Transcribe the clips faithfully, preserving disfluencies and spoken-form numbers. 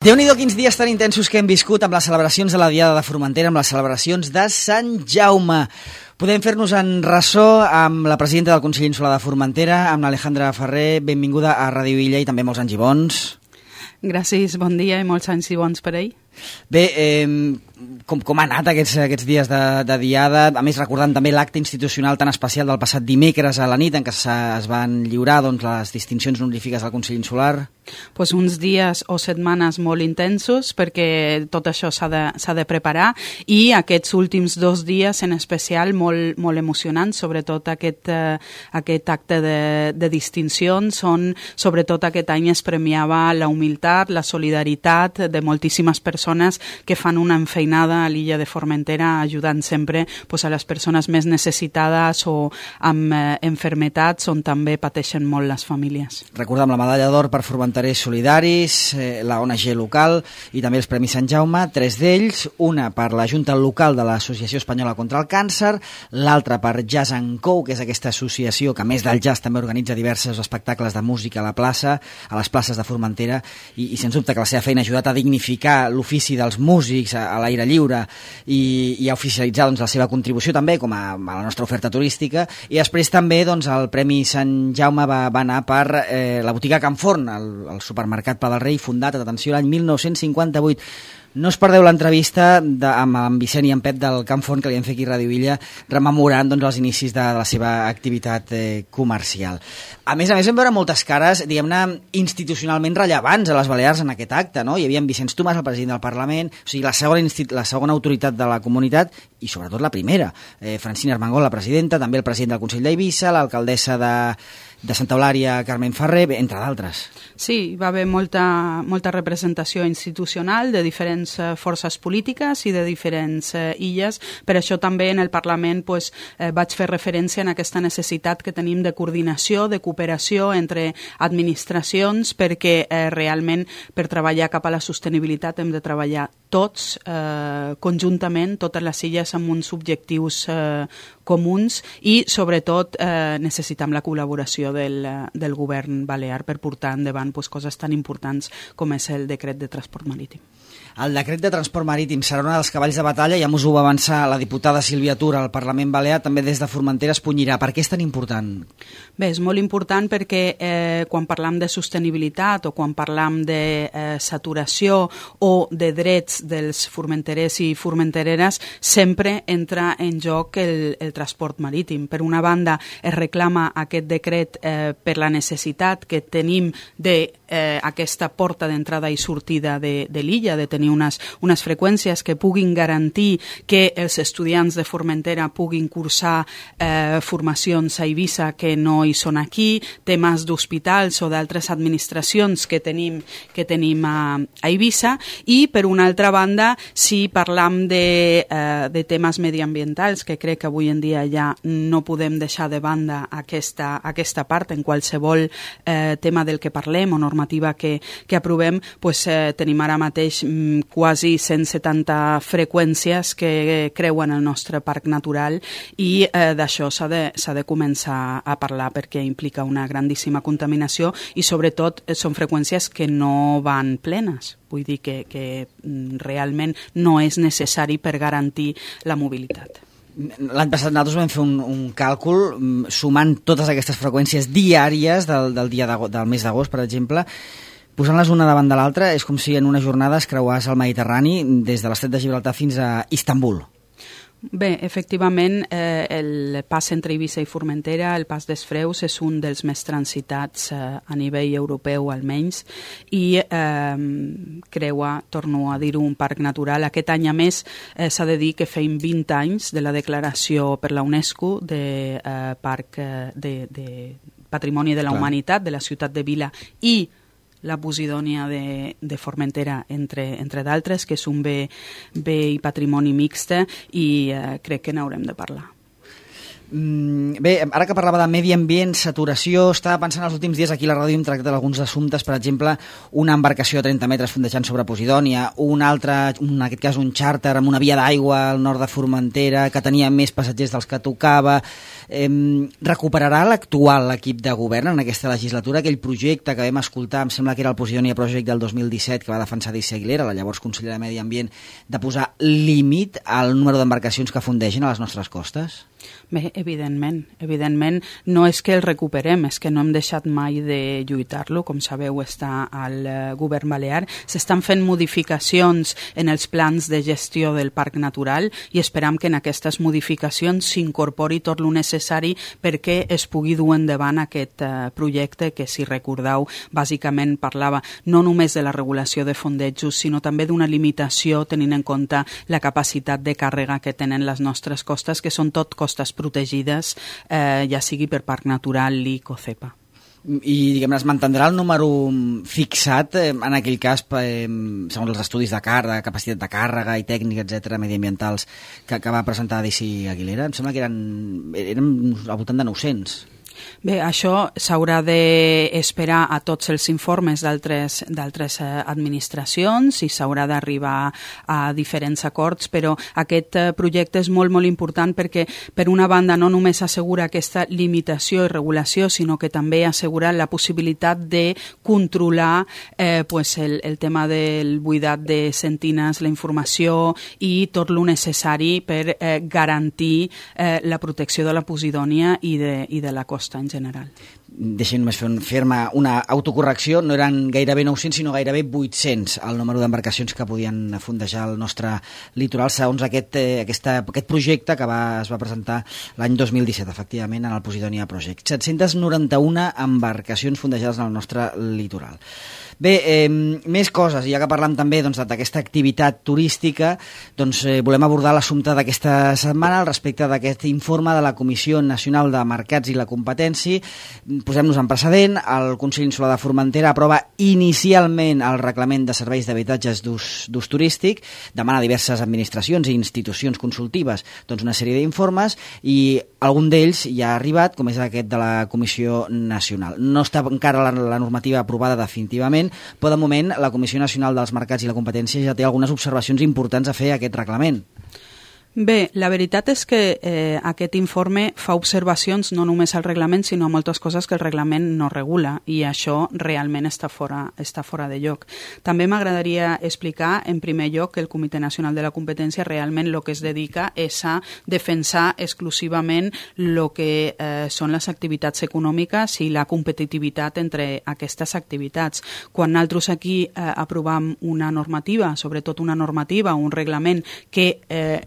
Déu-n'hi-do quins dies tan intensos que hem viscut amb les celebracions de la Diada de Formentera, amb les celebracions de Sant Jaume. Podem fer-nos en ressò amb la presidenta del Consell Insular de Formentera, amb l'Alejandra Ferrer. Benvinguda a Ràdio Illa i també molts anys i bons. Gràcies, bon dia i molts anys i bons per ell. Bé, eh, com, com ha anat aquests, aquests dies de, de Diada? A més, recordant també l'acte institucional tan especial del passat dimecres a la nit en què es van lliurar doncs, les distincions honorífiques del Consell Insular. Pues uns dies o setmanes molt intensos perquè tot això s'ha de, s'ha de preparar i aquests últims dos dies en especial molt, molt emocionants, sobretot aquest, eh, aquest acte de, de distincions on sobretot aquest any es premiava la humilitat, la solidaritat de moltíssimes persones que fan una enfeinada a l'illa de Formentera ajudant sempre pues, a les persones més necessitades o amb eh, enfermetats on també pateixen molt les famílies. Recordem la medalla d'or per Formentera Solidaris, eh, la O N G local i també els Premis Sant Jaume, tres d'ells, una per la Junta Local de l'Associació Espanyola contra el Càncer, l'altra per Jazz and Co, que és aquesta associació que a més del jazz també organitza diversos espectacles de música a la plaça, a les places de Formentera i, i sens dubte que la seva feina ha ajudat a dignificar l'ofici dels músics a, a l'aire lliure i, i a oficialitzar doncs, la seva contribució també com a, a la nostra oferta turística i després també doncs, el Premi Sant Jaume va, va anar per eh, la botiga Can Forn, el el supermercat Pla del Rei, fundat, atenció, l'any mil nou-cents cinquanta-vuit. No us perdeu l'entrevista de, amb en Vicent i en Pep del Can Forn que li hem fet aquí a Ràdio Illa, rememorant doncs, els inicis de, de la seva activitat eh, comercial. A més a més, vam veure moltes cares, diguem-ne, institucionalment rellevants a les Balears en aquest acte, no? Hi havia en Vicenç Tomàs, el president del Parlament, o sigui, la segona, la segona autoritat de la comunitat i sobretot la primera, eh, Francina Armengol, la presidenta, també el president del Consell d'Eivissa, l'alcaldessa de de Santa Eulària, Carmen Ferrer, entre d'altres. Sí, hi va haver molta, molta representació institucional de diferents eh, forces polítiques i de diferents eh, illes. Per això també en el Parlament pues, eh, vaig fer referència en aquesta necessitat que tenim de coordinació, de cooperació entre administracions, perquè eh, realment per treballar cap a la sostenibilitat hem de treballar tots eh, conjuntament, totes les illes amb uns objectius eh, comuns i sobretot eh, necessitem la col·laboració del, del govern balear per portar endavant pues, coses tan importants com és el decret de transport marítim. El decret de transport marítim serà un dels cavalls de batalla, ja ens ho va avançar la diputada Sílvia Tura al Parlament Balear, també des de Formentera es punyirà. Per què és tan important? Bé, és molt important perquè eh, quan parlam de sostenibilitat o quan parlam de eh, saturació o de drets dels formenterers i formentereres, sempre entra en joc el, el transport marítim. Per una banda, es reclama aquest decret eh, per la necessitat que tenim de eh, aquesta porta d'entrada i sortida de, de l'illa, de tenir unes, unes freqüències que puguin garantir que els estudiants de Formentera puguin cursar eh, formacions a Eivissa que no hi són aquí, temes d'hospitals o d'altres administracions que tenim, que tenim a, a Eivissa i per una altra banda si parlam de, eh, de temes mediambientals que crec que avui en dia ja no podem deixar de banda aquesta, aquesta part en qualsevol eh, tema del que parlem o normativa que, que aprovem, pues, eh, tenim ara mateix quasi cent setanta freqüències que creuen el nostre parc natural i eh, d'això s'ha de, s'ha de començar a parlar perquè implica una grandíssima contaminació i sobretot són freqüències que no van plenes. Vull dir que, que realment no és necessari per garantir la mobilitat. L'any passat nosaltres vam fer un, un càlcul sumant totes aquestes freqüències diàries del, del, dia del mes d'agost, per exemple. Posant-les una davant de l'altra és com si en una jornada es creuàs el Mediterrani des de l'estret de Gibraltar fins a Istanbul. Bé, efectivament, eh, el pas entre Eivissa i Formentera, el pas d'Esfreus, és un dels més transitats eh, a nivell europeu almenys i eh, creua, torno a dir-ho, un parc natural. Aquest any, a més, eh, s'ha de dir que feim vint anys de la declaració per la UNESCO de eh, Parc eh, de, de Patrimoni de la Clar. Humanitat de la ciutat de Vila i la Posidònia de, de Formentera, entre, entre d'altres, que és un bé, bé i patrimoni mixte i eh, crec que n'haurem de parlar. Bé, ara que parlava de medi ambient, saturació, estava pensant els últims dies aquí a la ràdio hem tractat alguns assumptes, per exemple, una embarcació de trenta metres fondejant sobre Posidònia, un altre, en aquest cas un xàrter amb una via d'aigua al nord de Formentera que tenia més passatgers dels que tocava. Eh, recuperarà l'actual equip de govern en aquesta legislatura aquell projecte que vam escoltar, em sembla que era el Posidònia Project del dos mil disset, que va defensar Daisy Aguilera, la llavors consellera de Medi Ambient, de posar límit al número d'embarcacions que fondegen a les nostres costes? Bé, evidentment, evidentment no és que el recuperem, és que no hem deixat mai de lluitar-lo, com sabeu està al govern balear, s'estan fent modificacions en els plans de gestió del parc natural i esperam que en aquestes modificacions s'incorpori tot el necessari perquè es pugui dur endavant aquest uh, projecte que, si recordeu, bàsicament parlava no només de la regulació de fondejos, sinó també d'una limitació tenint en compte la capacitat de càrrega que tenen les nostres costes, que són tot costes protegides, eh, ja sigui per Parc Natural, L I C o CEPA. I, diguem-ne, es mantindrà el número fixat, eh, en aquell cas, eh, segons els estudis de càrrega, capacitat de càrrega i tècnica, etcètera, mediambientals, que, que va presentar Daisy Aguilera? Em sembla que eren, eren al voltant de nou-cents. Bé, això s'haurà d'esperar a tots els informes d'altres d'altres administracions i s'haurà d'arribar a diferents acords, però aquest projecte és molt, molt important perquè, per una banda, no només assegura aquesta limitació i regulació, sinó que també assegura la possibilitat de controlar eh, pues el, el tema del buidat de sentines, la informació i tot el necessari per eh, garantir eh, la protecció de la Posidònia i de, i de la costa en general. Deixem només fer-me una autocorrecció, no eren gairebé nou-cents sinó gairebé vuit-cents el número d'embarcacions que podien fondejar el nostre litoral segons aquest, eh, aquesta, aquest projecte que va, es va presentar l'any dos mil disset, efectivament, en el Posidònia Project. set-cents noranta-una embarcacions fondejades en el nostre litoral. Bé, eh, més coses, ja que parlam també doncs, d'aquesta activitat turística, doncs eh, volem abordar l'assumpte d'aquesta setmana al respecte d'aquest informe de la Comissió Nacional de Mercats i la Competència. Posem-nos en precedent, el Consell Insular de Formentera aprova inicialment el reglament de serveis d'habitatges d'ús turístic, demana a diverses administracions i institucions consultives doncs, una sèrie d'informes i algun d'ells ja ha arribat, com és aquest de la Comissió Nacional. No està encara la, la normativa aprovada definitivament, però de moment la Comissió Nacional dels Mercats i la Competència ja té algunes observacions importants a fer a aquest reglament. Bé, la veritat és que eh, aquest informe fa observacions no només al reglament, sinó a moltes coses que el reglament no regula, i això realment està fora, està fora de lloc. També m'agradaria explicar, en primer lloc, que el Comitè Nacional de la Competència realment el que es dedica és a defensar exclusivament el que eh, són les activitats econòmiques i la competitivitat entre aquestes activitats. Quan nosaltres aquí eh, aprovam una normativa, sobretot una normativa, un reglament que eh,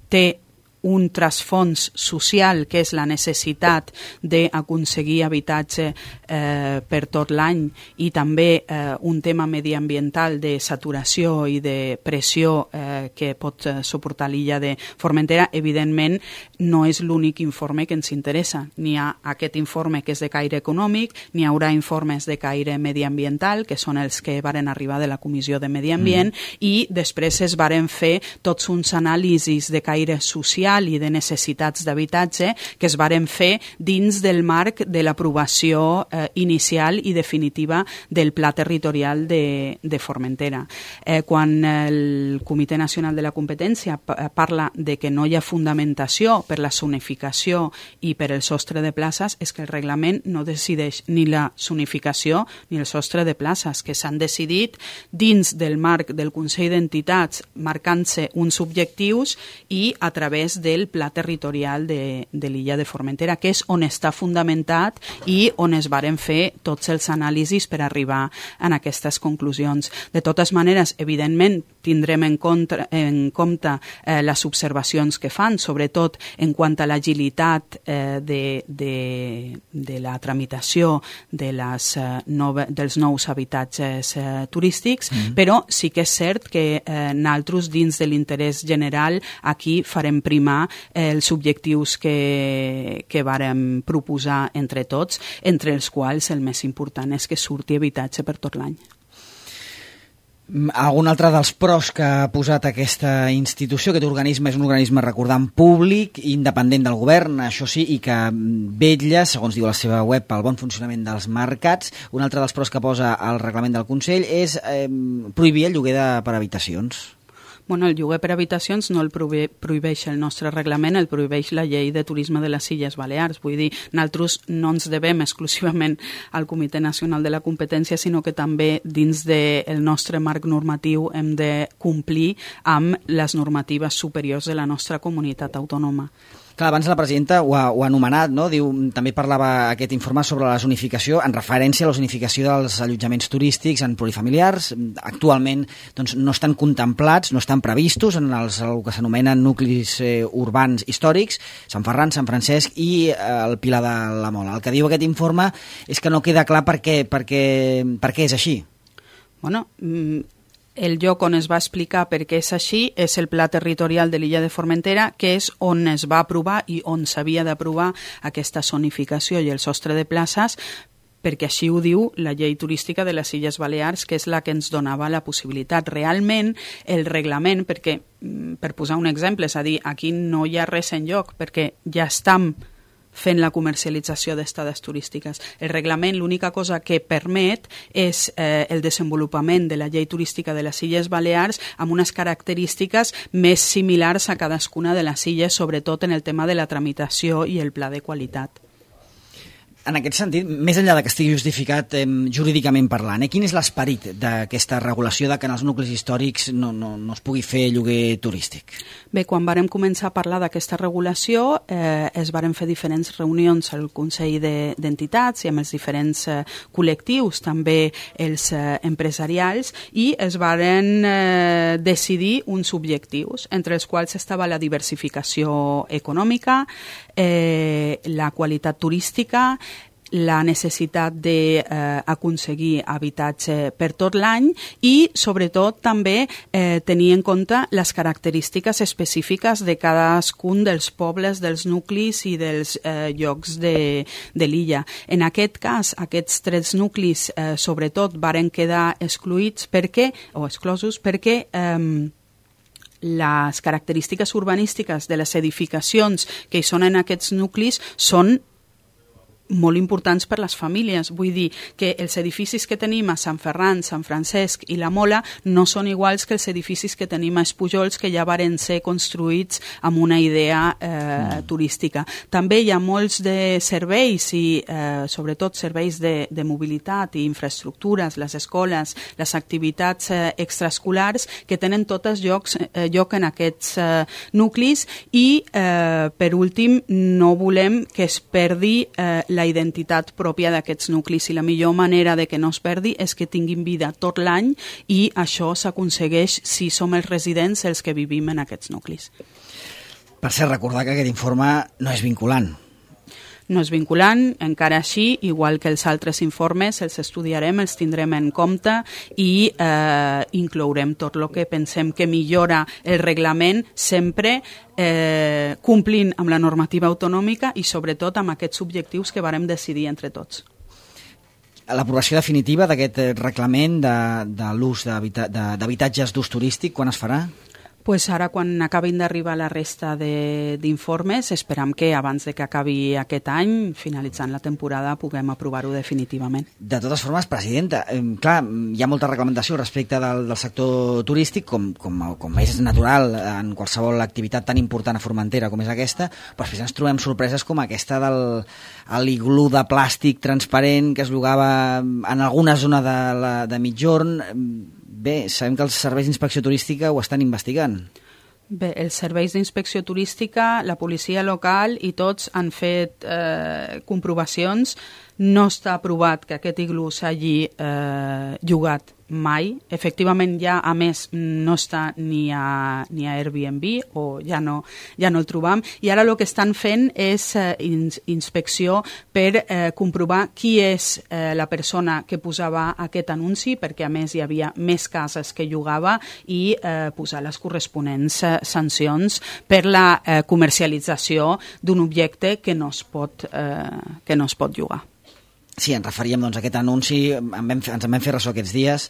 té un trasfons social, que és la necessitat d'aconseguir habitatge eh, per tot l'any, i també eh, un tema mediambiental de saturació i de pressió eh, que pot eh, suportar l'illa de Formentera, evidentment no és l'únic informe que ens interessa. N'hi ha aquest informe que és de caire econòmic, n'hi haurà informes de caire mediambiental, que són els que varen arribar de la Comissió de Medi Ambient, mm. i després es varen fer tots uns anàlisis de caire social i de necessitats d'habitatge que es varen fer dins del marc de l'aprovació eh, inicial i definitiva del Pla Territorial de, de Formentera. Eh, quan el Comitè Nacional de la Competència parla de que no hi ha fundamentació per la zonificació i per el sostre de places, és que el reglament no decideix ni la zonificació ni el sostre de places, que s'han decidit dins del marc del Consell d'Entitats, marcant-se uns objectius i a través del Pla Territorial de, de l'illa de Formentera, que és on està fundamentat i on es varen fer tots els anàlisis per arribar a aquestes conclusions. De totes maneres, evidentment, tindrem en, contra, en compte eh, les observacions que fan, sobretot en quant a l'agilitat eh, de, de, de la tramitació de les, eh, nove, dels nous habitatges eh, turístics, mm-hmm. però sí que és cert que eh, nosaltres, dins de l'interès general, aquí farem primar els objectius que, que vàrem proposar entre tots, entre els quals el més important és que surti habitatge per tot l'any. Algun altre dels pros que ha posat aquesta institució, aquest organisme, és un organisme, recordant, públic, independent del govern, això sí, i que vetlla, segons diu la seva web, pel bon funcionament dels mercats. Un altre dels pros que posa el reglament del Consell és eh, prohibir el lloguer de, per habitacions. Bueno, el lloguer per habitacions no el prohibeix el nostre reglament, el prohibeix la llei de turisme de les Illes Balears. Vull dir, nosaltres no ens devem exclusivament al Comitè Nacional de la Competència, sinó que també dins del nostre marc normatiu hem de complir amb les normatives superiors de la nostra comunitat autònoma. Clar, abans la presidenta ho ha, ho ha anomenat, no? Diu, també parlava aquest informe sobre la zonificació, en referència a la zonificació dels allotjaments turístics en plurifamiliars. Actualment doncs, no estan contemplats, no estan previstos en els, el que s'anomenen nuclis eh, urbans històrics, Sant Ferran, Sant Francesc i eh, el Pilar de la Mola. El que diu aquest informe és que no queda clar per què, per què, per què és així. Bueno, el lloc on es va explicar per què és així és el Pla Territorial de l'illa de Formentera, que és on es va aprovar i on s'havia d'aprovar aquesta zonificació i el sostre de places, perquè així ho diu la llei turística de les Illes Balears, que és la que ens donava la possibilitat. Realment, el reglament, perquè, per posar un exemple, és a dir, aquí no hi ha res en lloc, perquè ja estem fent la comercialització d'estades turístiques. El reglament l'única cosa que permet és eh, el desenvolupament de la llei turística de les Illes Balears amb unes característiques més similars a cadascuna de les illes, sobretot en el tema de la tramitació i el pla de qualitat. En aquest sentit, més enllà de que estigui justificat eh, jurídicament parlant, eh, quin és l'esperit d'aquesta regulació de que en els nuclis històrics no, no, no es pugui fer lloguer turístic? Bé, quan vàrem començar a parlar d'aquesta regulació, eh, es varen fer diferents reunions al Consell d'Entitats de, i amb els diferents eh, col·lectius, també els eh, empresarials, i es varen eh, decidir uns objectius, entre els quals estava la diversificació econòmica, eh, la qualitat turística, la necessitat d'aconseguir eh, habitatge per tot l'any i, sobretot, també eh, tenir en compte les característiques específiques de cadascun dels pobles, dels nuclis i dels eh, llocs de, de l'illa. En aquest cas, aquests tres nuclis, eh, sobretot, varen quedar excluïts perquè, o exclosos perquè eh, les característiques urbanístiques de les edificacions que hi són en aquests nuclis són molt importants per les famílies. Vull dir que els edificis que tenim a Sant Ferran, Sant Francesc i la Mola no són iguals que els edificis que tenim a Espujols, que ja varen ser construïts amb una idea eh, mm. turística. També hi ha molts de serveis i eh, sobretot serveis de, de mobilitat i infraestructures, les escoles, les activitats eh, extraescolars que tenen totes llocs, eh, lloc en aquests eh, nuclis i eh, per últim no volem que es perdi eh, la identitat pròpia d'aquests nuclis i la millor manera de que no es perdi és que tinguin vida tot l'any i això s'aconsegueix si som els residents els que vivim en aquests nuclis. Per cert, recordar que aquest informe no és vinculant. No és vinculant, encara així, igual que els altres informes, els estudiarem, els tindrem en compte i eh, inclourem tot el que pensem que millora el reglament sempre eh, complint amb la normativa autonòmica i sobretot amb aquests objectius que vàrem decidir entre tots. L'aprovació definitiva d'aquest reglament de, de l'ús d'habitatges d'ús turístic, quan es farà? Pues ara, quan acabin d'arribar la resta d'informes, esperam que abans de que acabi aquest any, finalitzant la temporada, puguem aprovar-ho definitivament. De totes formes, presidenta, eh, clar, hi ha molta reglamentació respecte del, del sector turístic, com, com, com és natural en qualsevol activitat tan important a Formentera com és aquesta, però després ens trobem sorpreses com aquesta del l'iglú de plàstic transparent que es llogava en alguna zona de, la, de Migjorn. Bé, sabem que els serveis d'inspecció turística ho estan investigant. Bé, els serveis d'inspecció turística, la policia local i tots han fet eh, comprovacions. No està aprovat que aquest iglú s'hagi eh, llogat mai. Efectivament, ja, a més, no està ni a, ni a Airbnb o ja no, ja no el trobam. I ara el que estan fent és eh, ins, inspecció per eh, comprovar qui és eh, la persona que posava aquest anunci, perquè a més hi havia més cases que llogava i eh, posar les corresponents eh, sancions per la eh, comercialització d'un objecte que no es pot, eh, que no es pot llogar. Sí, ens referíem doncs, a aquest anunci, en vam, ens en vam fer ressò aquests dies,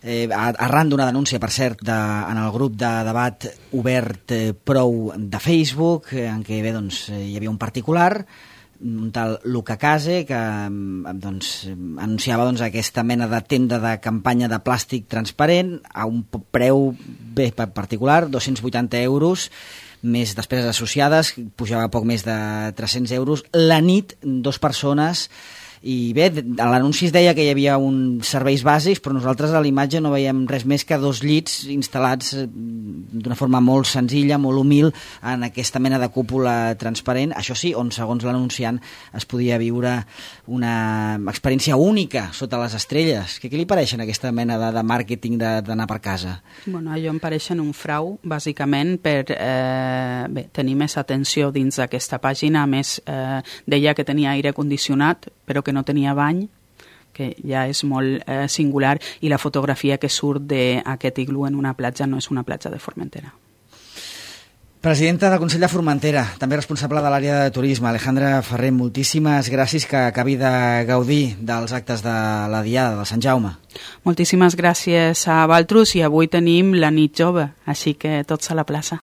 eh, arran d'una denúncia, per cert, de, en el grup de debat obert eh, Prou de Facebook, eh, en què bé, doncs, eh, hi havia un particular, un tal Luca Case, que doncs, anunciava doncs, aquesta mena de tenda de campanya de plàstic transparent a un preu bé particular, dos-cents vuitanta euros, més despeses associades, pujava poc més de tres-cents euros. La nit, dos persones. I bé, a l'anunci es deia que hi havia uns serveis bàsics, però nosaltres a l'imatge no veiem res més que dos llits instal·lats d'una forma molt senzilla, molt humil, en aquesta mena de cúpula transparent. Això sí, on, segons l'anunciant, es podia viure una experiència única sota les estrelles. Què, què li pareixen aquesta mena de, de màrqueting d'anar per casa? Bueno, allò em pareixen un frau, bàsicament, per eh, bé, tenir més atenció dins d'aquesta pàgina. A més, eh, deia que tenia aire condicionat, però que no tenia bany, que ja és molt eh, singular, i la fotografia que surt d'aquest iglú en una platja no és una platja de Formentera. Presidenta del Consell de Formentera, també responsable de l'àrea de turisme, Alejandra Ferrer, moltíssimes gràcies, que acabi de gaudir dels actes de la Diada de Sant Jaume. Moltíssimes gràcies a Valtrus, i avui tenim la nit jove, així que tots a la plaça.